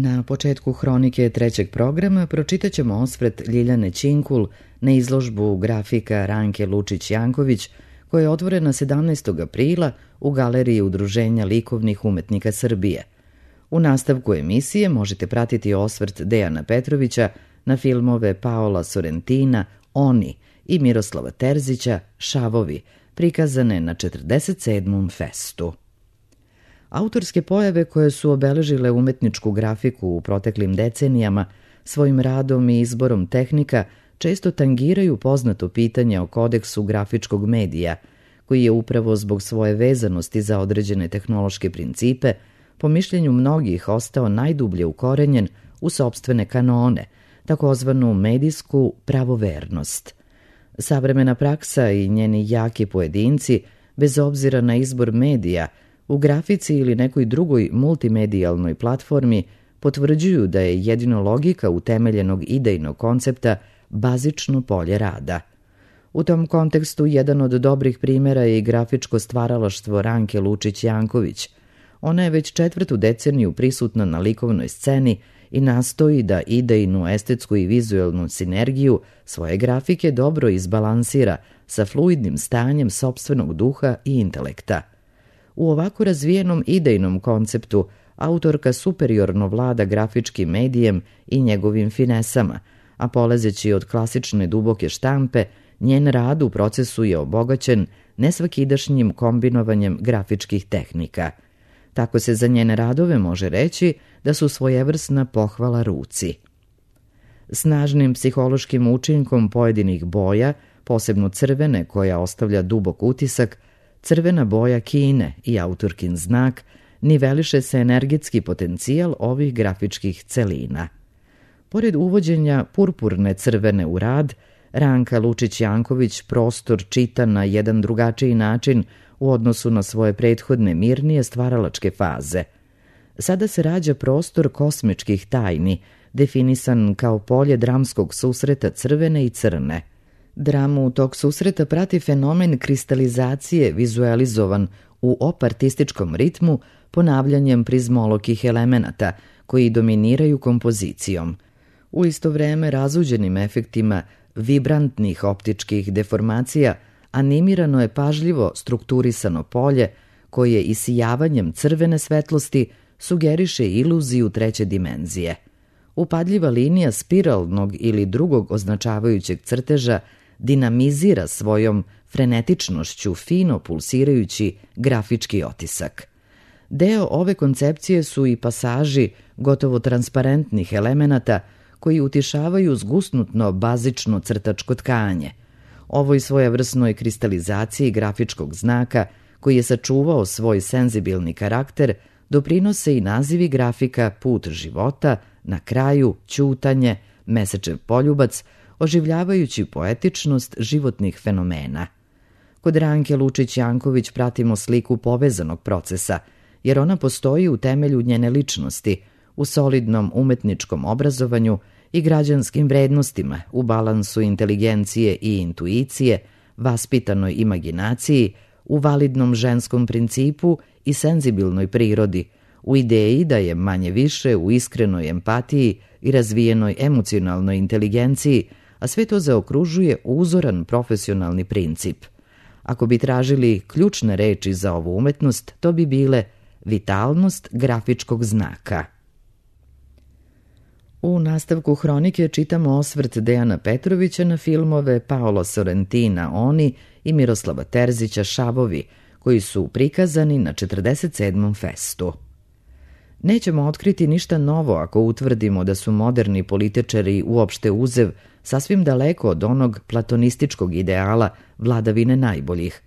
Na početku hronike trećeg programa pročitat ćemo osvrt Ljiljane Ćinkul na izložbu grafika Ranke Lučić-Janković, koja je otvorena 17. aprila u Galeriji Udruženja likovnih umetnika Srbije. U nastavku emisije možete pratiti osvrt Dejana Petrovića na filmove Paola Sorrentina Oni i Miroslava Terzića Šavovi, prikazane na 47. festu. Autorske pojave koje su obeležile umetničku grafiku u proteklim decenijama svojim radom i izborom tehnika često tangiraju poznato pitanje o kodeksu grafičkog medija, koji je upravo zbog svoje vezanosti za određene tehnološke principe, po mišljenju mnogih ostao najdublje ukorenjen u sopstvene kanone, takozvanu medijsku pravovernost. Savremena praksa i njeni jaki pojedinci, bez obzira na izbor medija, u grafici ili nekoj drugoj multimedijalnoj platformi potvrđuju da je jedino logika utemeljenog idejnog koncepta bazično polje rada. U tom kontekstu jedan od dobrih primjera je i grafičko stvaralaštvo Ranke Lučić-Janković. Ona je već 4. deceniju prisutna na likovnoj sceni i nastoji da idejnu, estetsku i vizuelnu sinergiju svoje grafike dobro izbalansira sa fluidnim stanjem sopstvenog duha i intelekta. U ovako razvijenom idejnom konceptu autorka superiorno vlada grafičkim medijem i njegovim finesama, a polazeći od klasične duboke štampe, njen rad u procesu je obogaćen nesvakidašnjim kombinovanjem grafičkih tehnika. Tako se za njene radove može reći da su svojevrsna pohvala ruci. Snažnim psihološkim učinkom pojedinih boja, posebno crvene koja ostavlja dubok utisak, crvena boja Kine i autorkin znak, niveliše se energetski potencijal ovih grafičkih celina. Pored uvođenja purpurne crvene u rad, Ranka Lučić-Janković prostor čita na jedan drugačiji način u odnosu na svoje prethodne mirnije stvaralačke faze. Sada se rađa prostor kosmičkih tajni, definisan kao polje dramskog susreta crvene i crne. Dramu tog susreta prati fenomen kristalizacije vizualizovan u opartističkom ritmu ponavljanjem prizmolokih elemenata koji dominiraju kompozicijom. U isto vreme razuđenim efektima vibrantnih optičkih deformacija animirano je pažljivo strukturisano polje koje isijavanjem crvene svetlosti sugeriše iluziju treće dimenzije. Upadljiva linija spiralnog ili drugog označavajućeg crteža dinamizira svojom frenetičnošću fino pulsirajući grafički otisak. Deo ove koncepcije su i pasaži gotovo transparentnih elemenata koji utišavaju zgusnutno bazično crtačko tkanje. Ovoj svojevrsnoj kristalizaciji grafičkog znaka, koji je sačuvao svoj senzibilni karakter, doprinose i nazivi grafika Put života, Na kraju, Ćutanje, Mesečev poljubac, oživljavajući poetičnost životnih fenomena. Kod Ranke Lučić-Janković pratimo sliku povezanog procesa, jer ona postoji u temelju njene ličnosti, u solidnom umetničkom obrazovanju i građanskim vrednostima, u balansu inteligencije i intuicije, vaspitanoj imaginaciji, u validnom ženskom principu i senzibilnoj prirodi, u ideji da je manje više u iskrenoj empatiji i razvijenoj emocionalnoj inteligenciji, a sve to zaokružuje uzoran profesionalni princip. Ako bi tražili ključne reči za ovu umetnost, to bi bile vitalnost grafičkog znaka. U nastavku hronike čitamo osvrt Dejana Petrovića na filmove Paola Sorrentina Oni i Miroslava Terzića Šavovi, koji su prikazani na 47. festu. Nećemo otkriti ništa novo ako utvrdimo da su moderni političari uopšte uzev sasvim daleko od onog platonističkog ideala vladavine najboljih.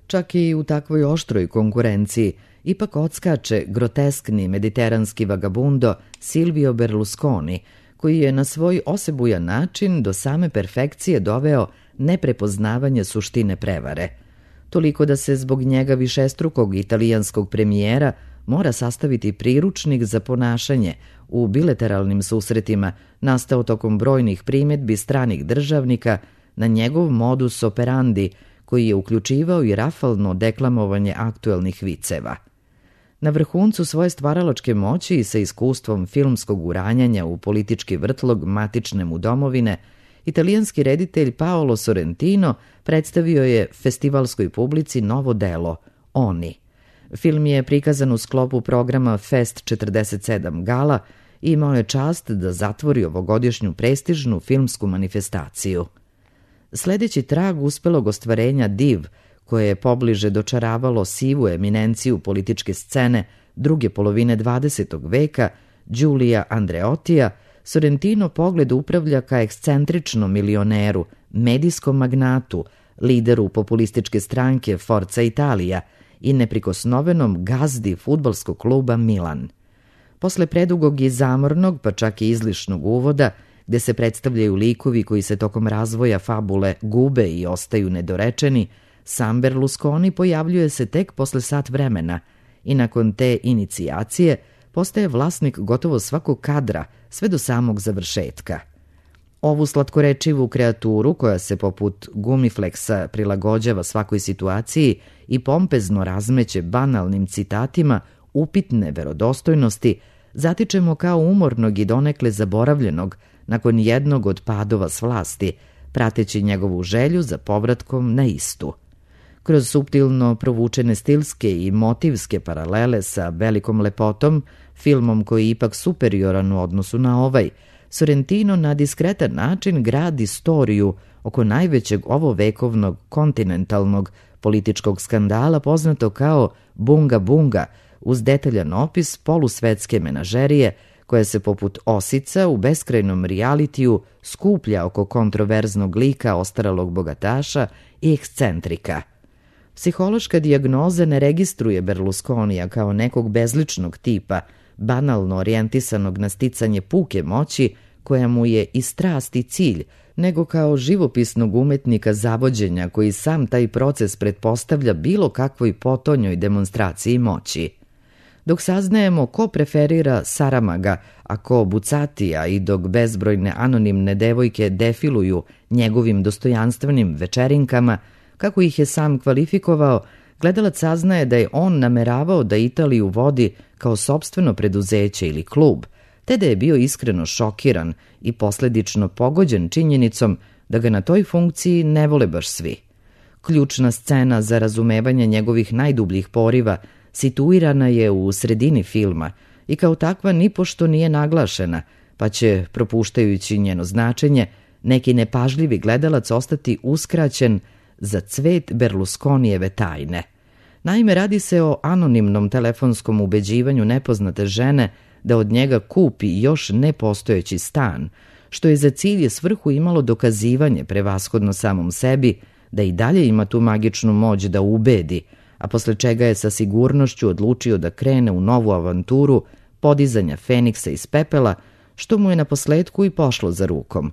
Čak i u takvoj oštroj konkurenciji ipak odskače groteskni mediteranski vagabundo Silvio Berlusconi, koji je na svoj osebujan način do same perfekcije doveo neprepoznavanje suštine prevare. Toliko da se zbog njega višestrukog italijanskog premijera mora sastaviti priručnik za ponašanje u bilateralnim susretima nastao tokom brojnih primjedbi stranih državnika na njegov modus operandi, koji je uključivao i rafalno deklamovanje aktuelnih viceva. Na vrhuncu svoje stvaralačke moći i sa iskustvom filmskog uranjanja u politički vrtlog matične mu domovine, italijanski reditelj Paolo Sorrentino predstavio je festivalskoj publici novo delo Oni. Film je prikazan u sklopu programa Fest 47 Gala i imao je čast da zatvori ovogodišnju prestižnu filmsku manifestaciju. Sledeći trag uspelog ostvarenja Div, koje je pobliže dočaravalo sivu eminenciju političke scene druge polovine 20. veka, Giulia Andreottija, Sorrentino pogled upravlja ka ekscentričnom milioneru, medijskom magnatu, lideru populističke stranke Forza Italia i neprikosnovenom gazdi fudbalskog kluba Milan. Posle predugog i zamornog, pa čak i izlišnog uvoda, gde se predstavljaju likovi koji se tokom razvoja fabule gube i ostaju nedorečeni, sam Berlusconi pojavljuje se tek posle sat vremena i nakon te inicijacije postaje vlasnik gotovo svakog kadra sve do samog završetka. Ovu slatkorečivu kreaturu, koja se poput gumifleksa prilagođava svakoj situaciji i pompezno razmeće banalnim citatima upitne verodostojnosti, zatičemo kao umornog i donekle zaboravljenog nakon jednog od padova s vlasti, prateći njegovu želju za povratkom na istu. Kroz suptilno provučene stilske i motivske paralele sa Velikom lepotom, filmom koji je ipak superioran u odnosu na ovaj, Sorrentino na diskretan način gradi istoriju oko najvećeg ovovekovnog kontinentalnog političkog skandala poznato kao Bunga Bunga, uz detaljan opis polusvetske menažerije koja se poput osica u beskrajnom realitiju skuplja oko kontroverznog lika ostaralog bogataša i ekscentrika. Psihološka dijagnoza ne registruje Berlusconija kao nekog bezličnog tipa, banalno orijentisanog na sticanje puke moći koja mu je i strast i cilj, nego kao živopisnog umetnika zavođenja koji sam taj proces pretpostavlja bilo kakvoj potonjoj demonstraciji moći. Dok saznajemo ko preferira Saramaga, a ko Bucatija i dok bezbrojne anonimne devojke defiluju njegovim dostojanstvenim večerinkama, kako ih je sam kvalifikovao, gledalac saznaje da je on nameravao da Italiju vodi kao sopstveno preduzeće ili klub, te da je bio iskreno šokiran i posledično pogođen činjenicom da ga na toj funkciji ne vole baš svi. Ključna scena za razumevanje njegovih najdubljih poriva situirana je u sredini filma i kao takva nipošto nije naglašena, pa će, propuštajući njeno značenje, neki nepažljivi gledalac ostati uskraćen za cvet Berlusconijeve tajne. Naime, radi se o anonimnom telefonskom ubeđivanju nepoznate žene da od njega kupi još nepostojeći stan, što je za cilj i svrhu imalo dokazivanje prevashodno samom sebi da i dalje ima tu magičnu moć da ubedi, a posle čega je sa sigurnošću odlučio da krene u novu avanturu podizanja Feniksa iz pepela, što mu je naposletku i pošlo za rukom.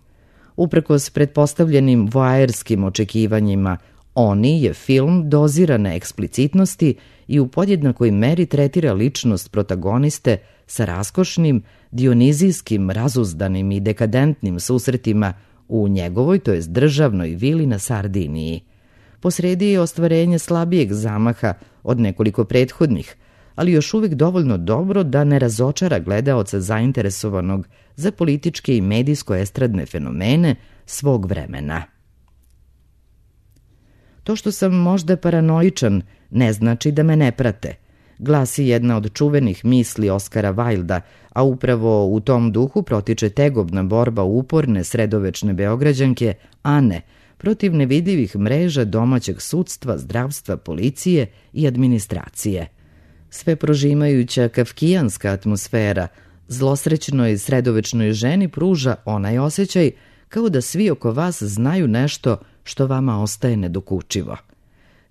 Uprkos pretpostavljenim voajerskim očekivanjima, Oni je film dozirane eksplicitnosti i u podjednakoj meri tretira ličnost protagoniste sa raskošnim, dionizijskim, razuzdanim i dekadentnim susretima u njegovoj, to jest državnoj vili na Sardiniji. Posredi je ostvarenje slabijeg zamaha od nekoliko prethodnih, ali još uvijek dovoljno dobro da ne razočara gledaoca zainteresovanog za političke i medijsko-estradne fenomene svog vremena. To što sam možda paranoičan ne znači da me ne prate, glasi jedna od čuvenih misli Oskara Wilda, a upravo u tom duhu protiče tegobna borba uporne sredovečne Beograđanke Ane protiv nevidljivih mreža domaćeg sudstva, zdravstva, policije i administracije. Sve prožimajuća kafkijanska atmosfera zlosrećnoj sredovečnoj ženi pruža onaj osjećaj kao da svi oko vas znaju nešto što vama ostaje nedokučivo.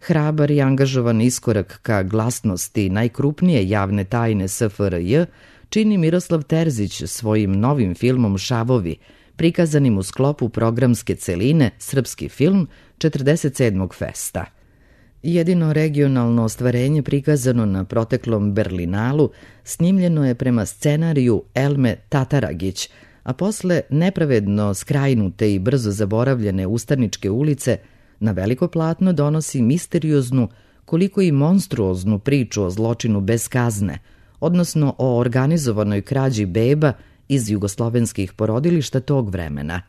Hrabar i angažovan iskorak ka glasnosti najkrupnije javne tajne SFRJ čini Miroslav Terzić svojim novim filmom Šavovi, prikazanim u sklopu programske celine Srpski film 47. festa. Jedino regionalno ostvarenje prikazano na proteklom Berlinalu snimljeno je prema scenariju Elme Tataragić, a posle nepravedno skrajnute i brzo zaboravljene Ustaničke ulice na veliko platno donosi misterioznu, koliko i monstruoznu priču o zločinu bez kazne, odnosno o organizovanoj krađi beba iz jugoslovenskih porodilišta tog vremena.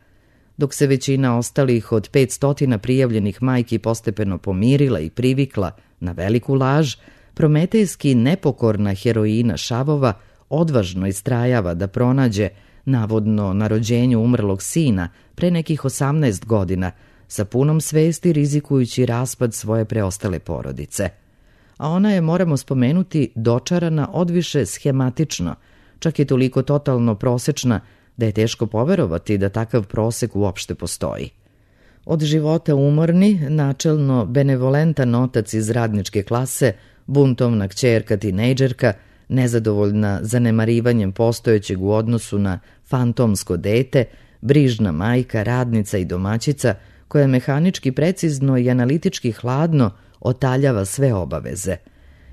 Dok se većina ostalih od 500 prijavljenih majki postepeno pomirila i privikla na veliku laž, prometejski nepokorna heroina Šavova odvažno istrajava da pronađe, navodno na rođenju umrlog sina pre nekih 18 godina, sa punom svesti rizikujući raspad svoje preostale porodice. A ona je, moramo spomenuti, dočarana odviše schematično, čak je toliko totalno prosečna da je teško poverovati da takav prosek uopšte postoji. Od života umorni, načelno benevolentan otac iz radničke klase, buntovna kćerka tinejdžerka, nezadovoljna zanemarivanjem postojećeg u odnosu na fantomsko dete, brižna majka, radnica i domaćica, koja mehanički precizno i analitički hladno otaljava sve obaveze.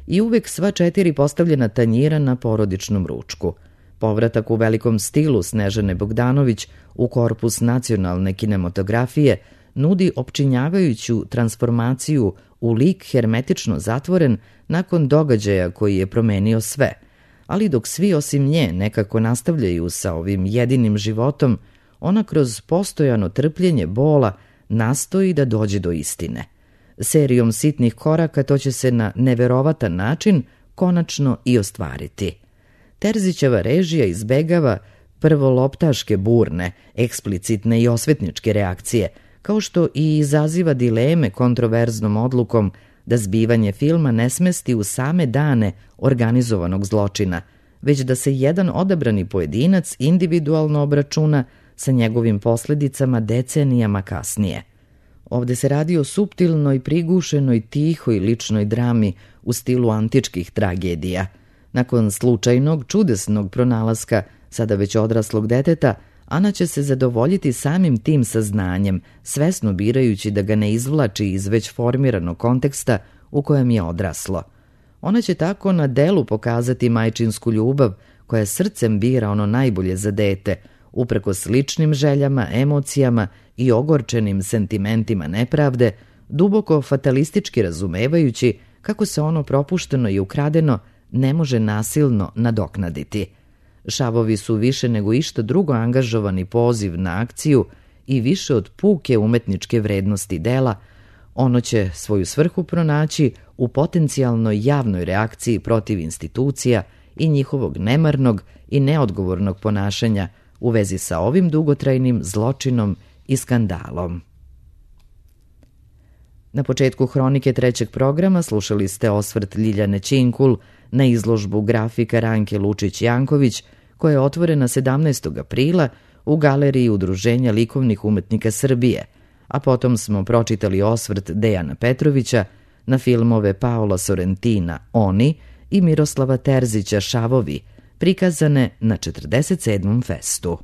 I uvek sva 4 postavljena tanjira na porodičnom ručku. Povratak u velikom stilu Snežane Bogdanović u korpus nacionalne kinematografije nudi opčinjavajuću transformaciju u lik hermetično zatvoren nakon događaja koji je promenio sve, ali dok svi osim nje nekako nastavljaju sa ovim jedinim životom, ona kroz postojano trpljenje bola nastoji da dođe do istine. Serijom sitnih koraka to će se na neverovatan način konačno i ostvariti. Terzićeva režija izbegava prvo loptaške burne, eksplicitne i osvetničke reakcije, kao što i izaziva dileme kontroverznom odlukom da zbivanje filma ne smesti u same dane organizovanog zločina, već da se jedan odabrani pojedinac individualno obračuna sa njegovim posledicama decenijama kasnije. Ovde se radi o suptilnoj, prigušenoj, tihoj ličnoj drami u stilu antičkih tragedija. Nakon slučajnog, čudesnog pronalaska sada već odraslog deteta, Ana će se zadovoljiti samim tim saznanjem, svesno birajući da ga ne izvlači iz već formiranog konteksta u kojem je odraslo. Ona će tako na delu pokazati majčinsku ljubav koja srcem bira ono najbolje za dete, upreko sličnim željama, emocijama i ogorčenim sentimentima nepravde, duboko fatalistički razumevajući kako se ono propušteno i ukradeno ne može nasilno nadoknaditi. Šavovi su više nego išta drugo angažovani poziv na akciju i više od puke umetničke vrednosti dela, ono će svoju svrhu pronaći u potencijalnoj javnoj reakciji protiv institucija i njihovog nemarnog i neodgovornog ponašanja u vezi sa ovim dugotrajnim zločinom i skandalom. Na početku hronike 3. programa slušali ste osvrt Ljiljane Činkul na izložbu grafika Ranke Lučić-Janković, koja je otvorena 17. aprila u Galeriji Udruženja likovnih umetnika Srbije, a potom smo pročitali osvrt Dejana Petrovića na filmove Paola Sorrentina Oni i Miroslava Terzića Šavovi, prikazane na 47. festu.